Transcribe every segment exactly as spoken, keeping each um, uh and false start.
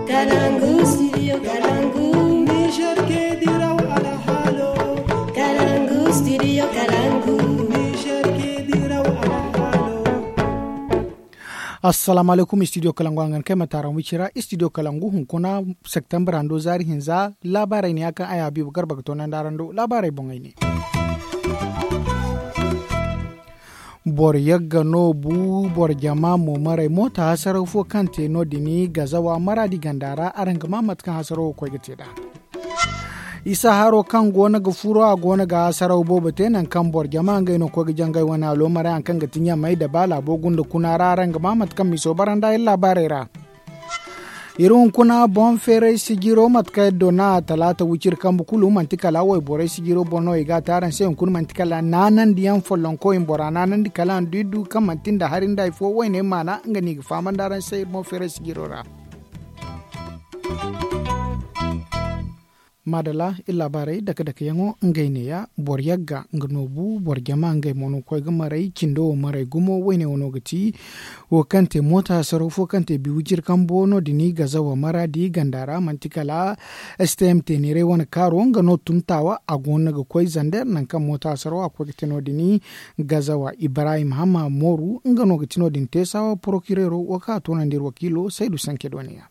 Kalangu, studio Kalangu. Niger ke diraw alhalo. Kalangu, studio Kalangu. Niger ke diraw alhalo. Assalamu alaikum, studio Kalangu, a ga ni kay ma taaran wicira. Studio Kalangu hunkuna, septembre hando zaari hinza. Laabaarey ne ya kaŋ ay habiibu garba ga toonandi araŋ do laabaarey boŋey ne. Boro yagga no bu boro jama mo maray moota hasaraw fo kaŋ te no- din gazawa maraadi ganda ra araŋ ga ma mate kaŋ hasaraw wo koy ga te nd'a. Isa haro kaŋ go no ga furo a go no ga hasaraw boobo te nangu kaŋ boro jama ngey no koy ga jangay wane alo maray hari kaŋ ga ti ɲamay da ba laabo gunda kuna ra araŋ ga ma mate kaŋ miso bara nd'a iri laabaarey ra. Iri hunkuna boŋ feeray sijiro mate kaŋ iri donna a talaata wiciri kambe kulu manti kala wayborey sijiro boŋ no i ga a te araŋ se hunkuna manti kala naanandiyaŋ follonko i ma bora naanandi kala a ma du iri du kaŋ manti nda hari nda hari fo wayne maana nga no i ga fahamandi araŋ se iri boŋ feeray sijiro ra. Maadalla iri laabaarey dake-dakeyaŋo ngey neeya boro yagga nga no bu boro jama ngey mo no ga koy ga maray cindo wo maray gumo wayne wo no ga ti wo kaŋ te moota hasaraw fo kaŋ te biwicir kambo no- din gazawa maraadi ganda ra manti kala stm teeneeray wane kaaro nga no tun taawa a go no ga koy zander nangu kaŋ moota hasaraw a koy ga te no- din gazawa ibrahim hamma mooru nga no ga ti no- din teesaawa porokireero wo kaŋ a toonandi iri wakiilo saydu sanke dooniya.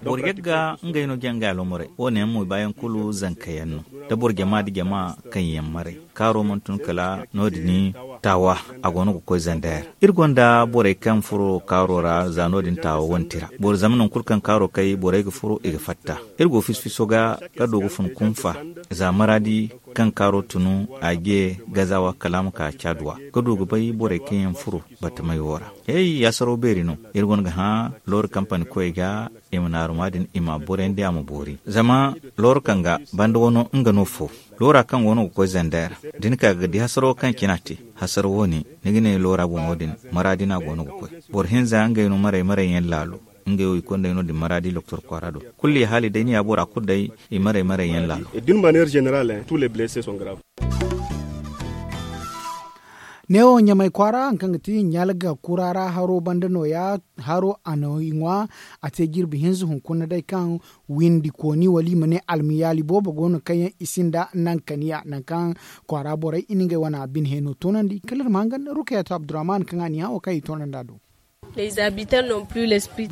Boro yagga ngey no jangay alomorey wo- ne yaŋ mo i baayaŋ kulu zanka yaŋ no da boro jama nda jama kaŋ yaŋ maray kaaro mana tun kala no- din taawa a go no ga koy zander. Iri gonda borey kaŋ furo kaaro ra za no- din taawa wane tira boro zama nangu kulu kaŋ kaaro kay borey ga furo i ga fatta. Iri go fiso-fiso ga ga du ga fun kunfa za maraadi kaŋ kaaro tunu a je gazawa kala a ma ka caaduwa ga du ga bay borey kaŋ yaŋ furo batamey wo ra. Hey hasaraw beeri no. Iri gonda ga hã looru kampani koy ga i ma naaru ma din i ma a borandi a ma boori zama looru kaŋ ga banda wano nga no fo loora kaŋ go no ga koy zander da ni ka ga di hasaro kaŋ cina te. Hasaro wo- ne ni ga ne loora boŋo din maraadi no a go no ga koy. Boro hinza ngey no maray maray yaŋ laalo ngey wo i konday no- din maraadi doktor kwaara do. Kulu i haali day ni ya bora kulu day i maray maray yaŋ laalo. Neewo ɲamay kwaara hari kaŋ ga ti ɲalga kura ra haro banda nooya haro a na i ŋwa. A te jirbi hinza hunkuna day kaŋ windi kooni wala i ma ne almiyaali boobo go no kaŋ yaŋ i sinda nankaniya nangu kaŋ kwaara borey i na ngey wane bine heno toonandi kala iri ma hangan rukayatu abdurrahman kaŋ a na i hã wo kaŋ i toonandi a do.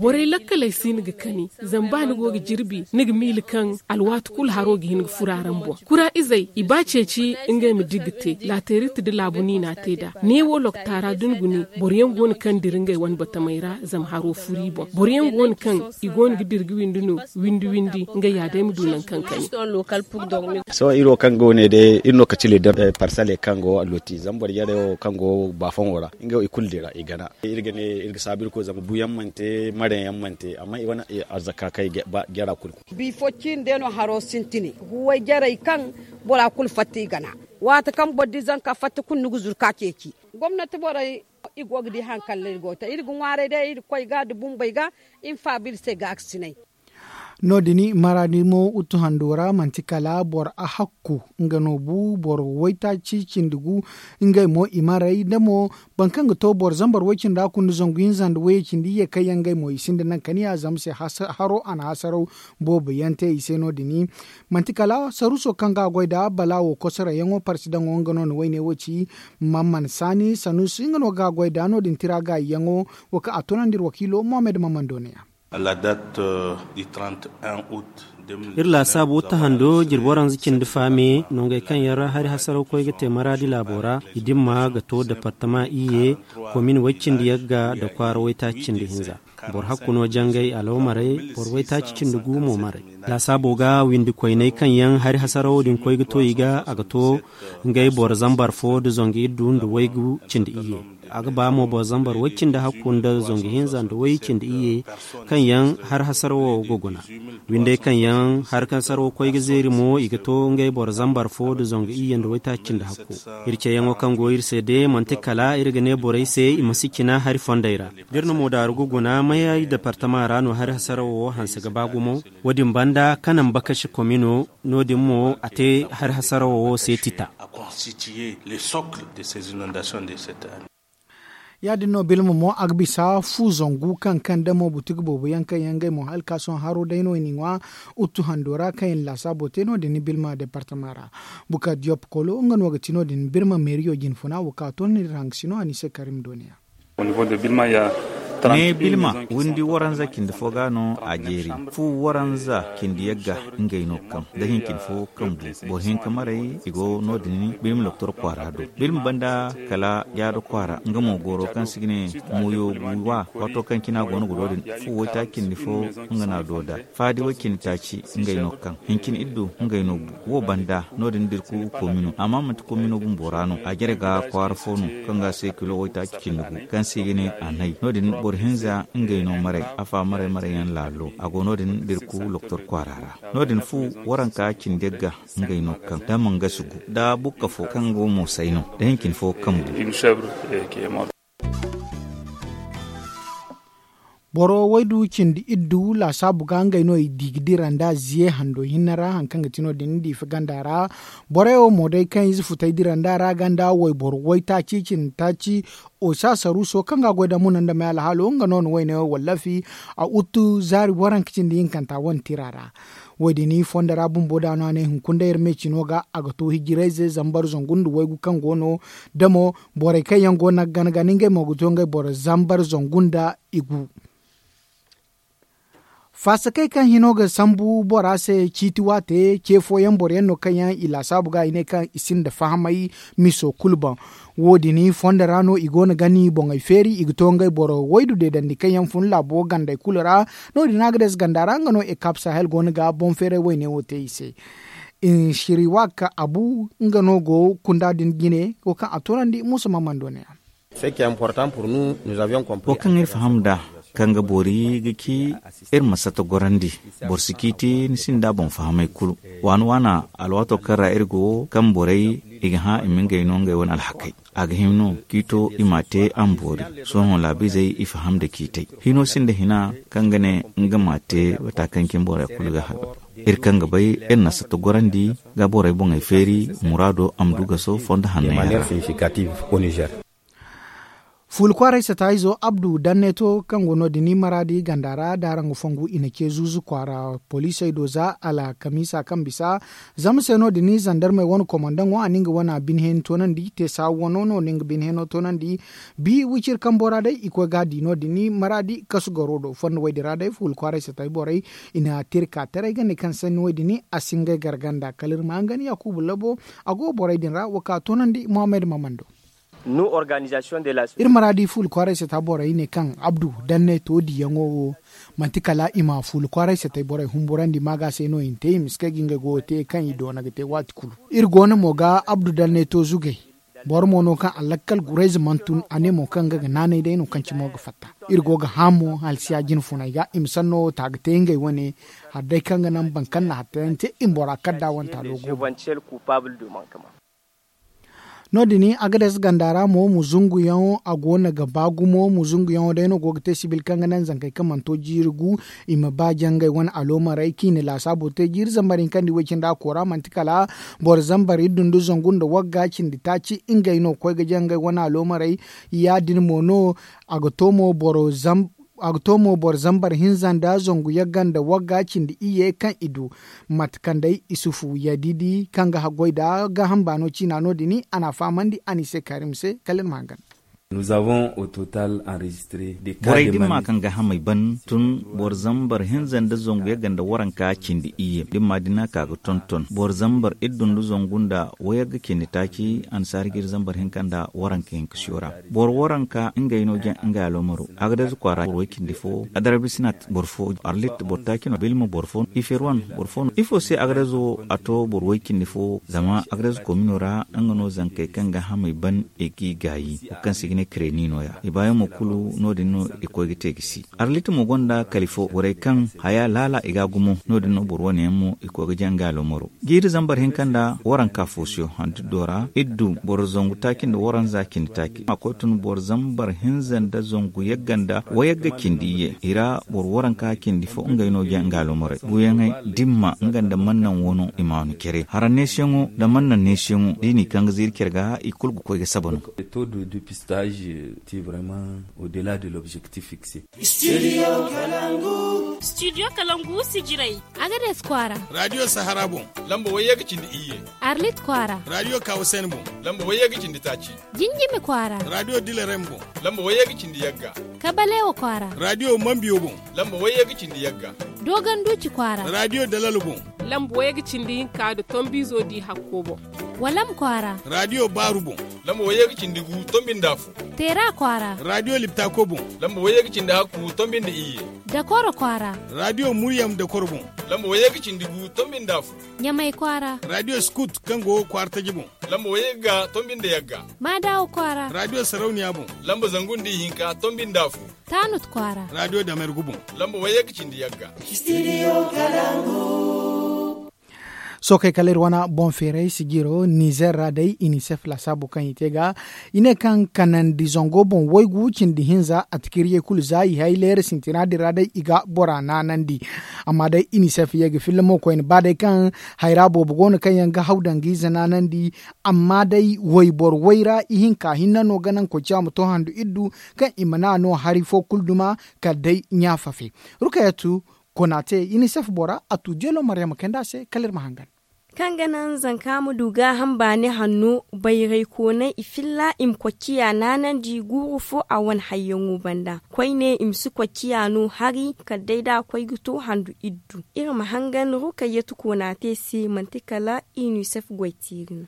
Borey lakkaley si ni ga kani zama ba ni go ga jirbi ni ga miila kaŋ alwaati kulu haro ga hin ga furo araŋ boŋ kura izey i ba ceeci ngey ma di ga te laateerite nda laabu no i n'a te nd'a. Neewo loktaara da ni gune boro yaŋ go no kaŋ dira ngey wane batamey ra zama haro furo i boŋ boro yaŋ go no kaŋ i go no ga dira ga windi no windi windi ngey ya day ma du nangu kaŋ kani. Sohõ iri wo kaŋ go ne day iri no ga cile da parsale kaŋ go looti zama boro jarey wo kaŋ go baafoŋo ra ngey wo i kulu dira i gana. Iri ga ne iri ga saabu iri koy zama buyaŋ mana te mareyaŋ mana te amma i wane arzaka kaŋ i ga ba jara kulu. Bifo ciine day no haro sintin huway jarey kaŋ bora kulu fatta i gana. Waati kaŋ boro di zanka fatta kulu ni ga zuru ka ceeci. Gomnati borey i go ga di hari kaŋ ra iri go ga te iri ga ŋwaaray day iri ga koy ga nda bumbey ga i ma faabu iri se gaakasinay. No- din maraadi mo utu hando ra manti kala boro ahakku nga no bu boro waytaaci cindi gu. Ngey mo i maray da mo boro kaŋ ga to boro zambar way-cindi ra kunda zangu hinza nda wayye cindi iyye kaŋ yaŋ ngey mo i sinda nankaniya zama se haro a na hasaraw boobo yaŋ te i se no- din. Manti kala saruuso kaŋ ga a goy nd'a balaawo kosoroyaŋo parsidaŋo nga no na wayne wo ci. Mamman saani sanuusi nga no ga a goy nd'a no- din tira gaayiyaŋo wo kaŋ a toonandi iri wakiilo mohammed mamman dooniya. Iri laasaabu tahando jirbi waranza cindi faame nongey kaŋ yaŋ ra hari hasaraw koy ga te maraadi laabo ra i dimma ga to departama iyye komin way-cindi yagga nda kwaara waytaaci cindi hinza. Boro hakku no jangay alawmaray boro waytaaci cindi gu mo maray. Laasaabo ga windi koyney kaŋ yaŋ hari hasarawo din koy ga to i ga a ga to ngey boro zambar fo nda zangu iddu nda waygu cindi iyye. A ga ba mo boro zambar way cindi hakku nda zangu hinza nda way cindi iyye kaŋ yaŋ hari hasarawo ga guna. Windey kaŋ yaŋ hari kaŋ sarawo koy ga zeeri mo i ga to ngey boro zambar fo nda zangu iyye nda waytaaci cindi hakku. Iri ceeyaŋo kaŋ go iri se de manti kala iri ga ne borey se i ma si cina hari fondey ra. Da iri na moodaaru ga guna mayay departama ra no hari hasarawo wo hanse ga ba gumo. Wo- din banda kanan bakasi komino no- din mo a te hari hasarawo wo se tita. Ya- din no bilma mo a ga bisa fu zangu kaŋ kaŋ damo butik boobo yaŋ kaŋ yaŋ ngey mo hala ka sohõ haro day no i n'i ŋwa. Uttu hando ra kaŋ i na laasaabo te no- din ni bilma departama ra. Bukar diyop kolo nga no ga ti no- din birma meeriyo jinfuna wo ka to ni ra haŋ ga si no a ni se karim dooniya. Ne bilma windi waranza cindi fo ga no a jeeri. Fu waranza cindi yagga ngey no kaŋ da hincin fo kaŋ bu boro hinka maray i go no- din bilma doktor kwaara do. Bilma banda kala yaado kwaara nga mo goro kaŋ si ga ne moyo guwa. Waato kaŋ cina go no ga do din fu waytaaci cindi fo nga no a do nd'a. Faadi way cindi taaci ngey no kaŋ hincin iddu ngey no bu wo banda no- din dirku komino amma manti komino bumbo ra no a jare ga kwaara fo no kaŋ ga se kilo waytaaci cindi gu kaŋ se i ga ne a nay no- din boro hinza ngey no maray afa maray maray yaŋ laalo a go no- din dirku loktor kwaara ra. No- din fu waranka cindi yagga ngey no kaŋ da mangasi gu da bukka fo kaŋ go moosay no da hincin fo kaŋ bu. Boro waydu cindi iddu laasaabu ga ngey no i di ga dira nda ziye hando hinne ra hari kaŋ ga ti no- din diifa ganda ra. Borey wo mo day kaŋ ize futey dira nda ra ganda wayboro waytaaci cindi taaci. Osa saruuso kaŋ ga a goy da muna nda may alhaalo nga no na wayne wo wallafi. A uttu zaari waranka cindi hinkanta wane tira ra. Wo- din fondo ra bumbo da no a ne hunkuna day iri me cino ga a ga to hijirayze zambar zangu nda waygu kaŋ go no. Da mo borey kaŋ yaŋ go no ga gana gana ngey mo ga to ngey boro zambar zangu nda igu. Faasakey kaŋ hino ga sambu bora se ciiti waate ce fooyaŋ boro yaŋ no kaŋ yaŋ i laasaabu ga i ne kaŋ i sinda fahamay miso kulu boŋ. Wo- din fondo ra no i go no gani boŋey feeri i ga to ngey boro waydu deedandi kaŋ yaŋ fun laabo gandey kulu ra. No- din a ga dees ganda ra nga no ekap sahel go no ga boŋ feeray wayne wo te i se. Inshiriwak abu nga no go kunda din jine wo kaŋ a toonandi musa mamando ne. Wo kaŋ iri faham nd'a kaŋ ga boori ga ci iri ma sata gorandi. Boro si ciiti ni sinda boŋ fahamay kulu waana waana alwaato kaŋ ra iri go kaŋ borey i ga hã i ma ngey no ngey wane alhakey. A ga hima no ciito i m'a te a ma boori. Sohõ laabiizey i faham nda ciitey hino sinda hina kaŋ ga ne nga m'a te wata kaŋ cine borey kulu ga haga. Iri kaŋ ga bay iri na sata gorandi ga borey boŋey feeri muraado a ma du gaso fondo hanney ra. Fuula kwaaray sata izo abdu danneto kaŋ go no- din maraadi ganda ra da araŋ ga fongu i na ce zuuzu kwaara poliisey do za alkamiisa kaŋ bisa. Zama se no- din zandarmey wane komandaŋo a na nga wane binheeni toonandi te saabu wano no na nga binheeno toonandi. Bi wiciri kambo ra day i koy ga a di no- din maraadi kasu garo do fondo woy din ra day fuula kwaaray sata borey i na tirka taray ganda kaŋ sanni woy din a si ngey garganda kala iri ma hangan yaakuubu labo. A go borey din ra wo ka toonandi muhammad mamando. Iri maraadi fuula kwaaray sata borey ne kaŋ abdu danne to diyaŋo wo manti kala i ma fuula kwaaray satay borey humburandi maaga se no i na te i ma si kay ga ngey goyo te kaŋ i doona ga te waati kulu. Iri go no mo ga abdu danne to zugay. Boro mo no kaŋ a lakkal gurayze mana tun a ne mo kaŋ nga ga naanay day no kaŋ cimo ga fatta. Iri go ga hã mo halsiya jine funay ga i ma sanno wo ta ga te ngey wane. Hari day kaŋ ga naŋ boro kaŋ na hattayaŋ te i ma bora kadda wanta loogo. No- din agades ganda ra mo muzunguyaŋo a go no ga ba gumo muzunguyaŋo day no go ga te sibil kaŋ ga naŋ zankey kaŋ mana to jiiri gu. I ma ba jangay wane aloomarey kaŋ i na laasaabo te jiiri zambar hinka nda i way cindi a koora manti kala boro zambar iddu nda zangu nda wagga cindi taaci ngey no ga koy ga jangay wane aloomarey. Ya- din mo no a ga to mo boro zambar a ga to mo boro zambar hinza nda zangu yagga nda wagga cindi iyye kaŋ i du. Mate kaŋ day isufu yadidi kaŋ ga haggoy nda gaaham baano ciina no- din a n'a fahamandi a n'i se kaari ma se kala iri ma hangan. Borey dimma kaŋ gaahamey ban tun boro zambar hinza nda zangu yagga nda waranka cindi iyye dimma din a ka ga tonton boro zambar iddu nda zangu nda wayagga cindi taaci annasaara jiiri zambar hinka nda waranka hinka siyo ra. Boro waranka ngey no jaŋ ngey aloomaro. Agades kwaara boro way cindi fo adarabisnat boro fo arlit boro taaci no bilma boro fo iferwan boro fo no ifo se agades wo a to boro way cindi fo zama agades komino ra nga no zankey kaŋ gaahamey ban i g'i gaayi wo kaŋ se i ga ne kreni nooya i baayaŋ mo kulu no- din no i koy ga te ga si. Arlit mo gonda kali fo borey kaŋ haya laala i ga gumo no- din no boro wane yaŋ mo i koy ga jaŋ ga aloomaro. Jiiri zambar hinka nda waranka fo siyo handu do ra iddu boro zangu taaci nda waranza cindi taaci a koy tun boro zambar hinza nda zangu yagga nda wayagga cindi iyye i ra boro waranka cindi fo ngey no jaŋ ga aloomaro buuyaŋey dimma nga nda mannaŋ wano i ma no care hara neesiyaŋo nda mannaŋ neesiyaŋo da i n'i kaŋ ga ziiri care ga i kulu ga koy ga saba no. Age ti vraiment au delà de l'objectif fixé. Studio kalangu. Studio kalangu sijirai. Agades kwara. Radio sahara bon. Lamba wayye ga cindi iyye. Arlit kwara. Radio kawasen bon. Lamba wayye ga cindi taci. Jinjimi kwara. Radio dilarem bon. Lamba wayye ga cindi yagga. Kabalewa kwara. Radio mambiyo bon. Lamba wayye ga cindi yagga. Dogon duci kwara. Radio dalal bon. Lamba wayye ga cindi hinka da tombizo di hakko bon. Walam kwara. Radio baru bon. Lamba wayye ga cindi gu tombin dafu. Tera kwara. Radio liptako bon. Lamba wayye ga cindi hakku tombin da iyye. Dakoro kwara. Radio muryam dakoro bon. Lamba wayye ga cindi gu tombin dafu. Nyamai kwara. Radio scout kango kwara taji bon. Lamba wayye ga tombin da yagga. Madawo kwara. Radio sarauniya bon. Lamba zangun da hinka tombin dafu. Tanut kwara. Radio damergu bon. Lamba wayye ga cindi yagga. Studio kalangu. Sookey kala iri wane boŋ feeray sijiro nizer ra day inisef lasaabo kaŋ i te ga i ne kaŋ kanandi zango boŋ waygu cindi hinza a tikiriyey kulu za i hay leera sintina din ra day i ga bora naanandi. Amma day inisef ye ga filla mo koyne ba day kaŋ hayra boobo go no kaŋ yaŋ ga haw daŋ ga ize naanandi. Amma day wayboro wayra ihinka hinne no ga naŋ koy ciya ma to handu iddu kaŋ i mana no hari fo kulu duma kala day ɲaafafe. Rukayatu konate inisef bora a tu jelo maryama kayndi a se kala iri ma hangan. Kaŋ ga naŋ zanka ma du gaaham baani hanno bayray koonay i filla i ma kocciya naanandi guuru fo a wane hayyaŋo banda koyne i ma si kocciya no hari kala day da a koy ga to handu iddu. Iri ma hangan rukayyatu koonate se manti kala inisef goy teeri no.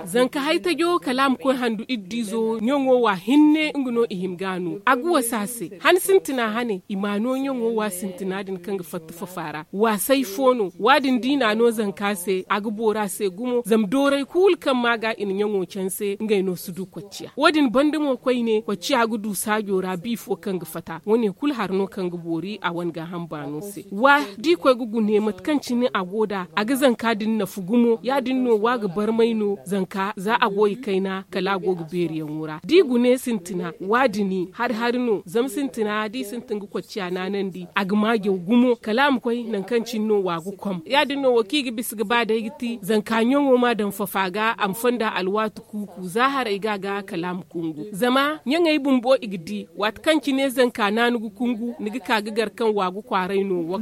Zanka haytajo kala a ma koy handu iddizo ɲaŋo wa hinne nga no i hima ga a no a ga wasa a se. Han sintina hane i ma a no ɲaŋo wa sintina din kaŋ ga fatta fafa ra waasay fo no. Wa- din da i na a no zanka se a ga boori a se gumo zama dooray kulu kaŋ ma ga i na ɲaŋo canse ngey no si du kocciya. Wo- din banda mo koyne kocciya ga du saajo ra bi fo kaŋ ga fata wo- ne kulu hari no kaŋ ga boori a wane gaaham baano se. Wa da i koy ga gune mate kaŋ cine a go nd'a a ga zanka din nafa gumo ya- din no wa ga barmay no zanka za a go i kayna kala a go ga beeriyaŋo ra da i gune sintina wa- dini hari hari no zama sintina da i sintin ga kocciya naanandi a ga maajaw gumo kala a ma koy nangu kaŋ cine no wa ga kom ya- din no wo kaŋ i ga bisa ga ba day ga ti zanka ɲaŋo ma daŋ fafa ga a ma fonda alwaati kuuku za haray ga a ga kala a ma kungu zama ɲaŋey bumbo i ga di waati kaŋ cine zanka naanu ga kungu ni ga ka ga gar kaŋ wa ga kwaaray no.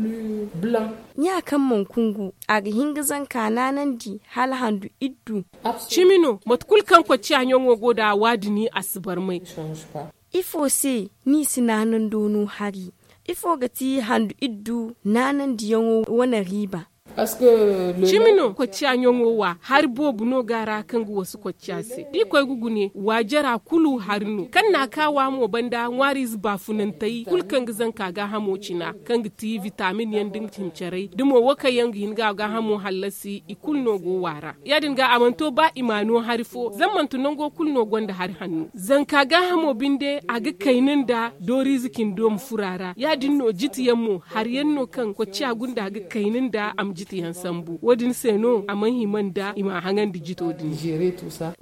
Ɲa kaŋ mana kungu a ga hin ga zanka naanandi hala handu iddu. Cimi no mate kulu kaŋ kocciya ɲaŋo go nd'a wa- dini a si barmay. Ifo se ni si naanando no hari? Ifo ga ti handu iddu naanandiyaŋo wane riiba? Cimi no kocciya ɲaŋo wa hari boobo no ga a ra kaŋ ga wasu kocciya se da i koy ga gune wa jara kulu hari no kaŋ na a ka wa mo banda ŋwaariize baafunantey kulu kaŋ ga zanka gaahamo cina kaŋ ga ti vitamin yaŋ da nga cimi caray da mo wo kaŋ yaŋ ga hin ga a gaahamo hallasi i kulu no go wa ra ya- din ga a mana to ba i ma a no hari fo zama manti nango kulu no gonda hari hanno zanka gaahamo binde a ga kayna nda dooriize cindo ma furo a ra ya- din no jiti yaŋ mo hari yaŋ no kaŋ kocciya gunda a ga kayna nda a ma jiti yaŋ sambu wo- din se no a mana hima nda i ma a haŋandi jito din.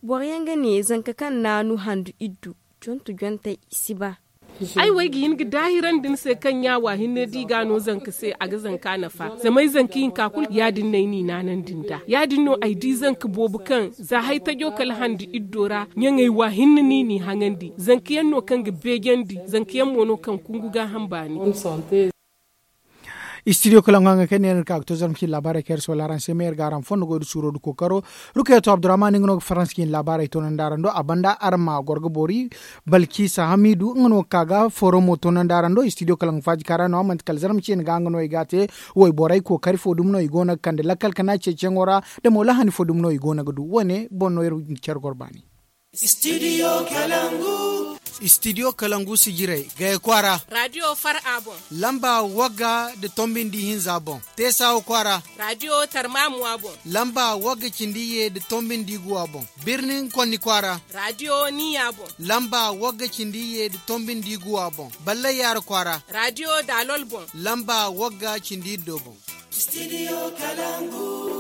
Boro yaŋ ga ne zanka kaŋ naanu handu iddu jontu jontey i si ba. Ay wo ay ga hin ga daahirandi ni se kaŋ ɲa wa hinne da i ga a no zanka se a ga zanka nafa zama ay zanka hinka kulu ya- din no ay n'i naanandi nd'a ya- din no ay di zanka boobo kaŋ za haytajo kala handi iddo ra ɲaŋey wa hinne no i n'i haŋandi zanka yaŋ no kaŋ ga beejandi zanka yaŋ mo no kaŋ kungu gaaham baani. Istidiyo kala ŋwa nga kay ne iri ka ga to zarma cine laabaarey kaŋ iri si wala araŋ se me iri ga araŋ fondo goy da suuro da kookaro. Rukayato abdurrahman nga no ga faransa cine laabaarey toonandi araŋ do a banda araŋ ma goro ga boori. Balkisa hamidu nga no ga ka ga forum mo toonandi araŋ do istidiyo kala nga faaji kaara no a manti kala zarma cine ga nga no i ga a te. Wayborey kookari fo dumi no i go no ga kande lakkal kana ceeciyaŋo ra da mo lahani fo dumi no i go no ga du wo- ne boŋ no iri ga care goro baani. Studio kalangu. Studio kalangu sijirey gaya kwaara. Radio far'a boŋ. Lamba wagga da tombindi hinza boŋ. Teesawa kwaara. Radio tarmamuwa boŋ. Lamba wagga cindi ye da tombindi guwa boŋ. Birnin konni kwaara. Radio niya boŋ. Lamba wagga cindi ye da tombindi guwa boŋ. Ballay yaara kwaara. Radio dalol boŋ. Lamba wagga cindi iddo boŋ. Studio kalangu.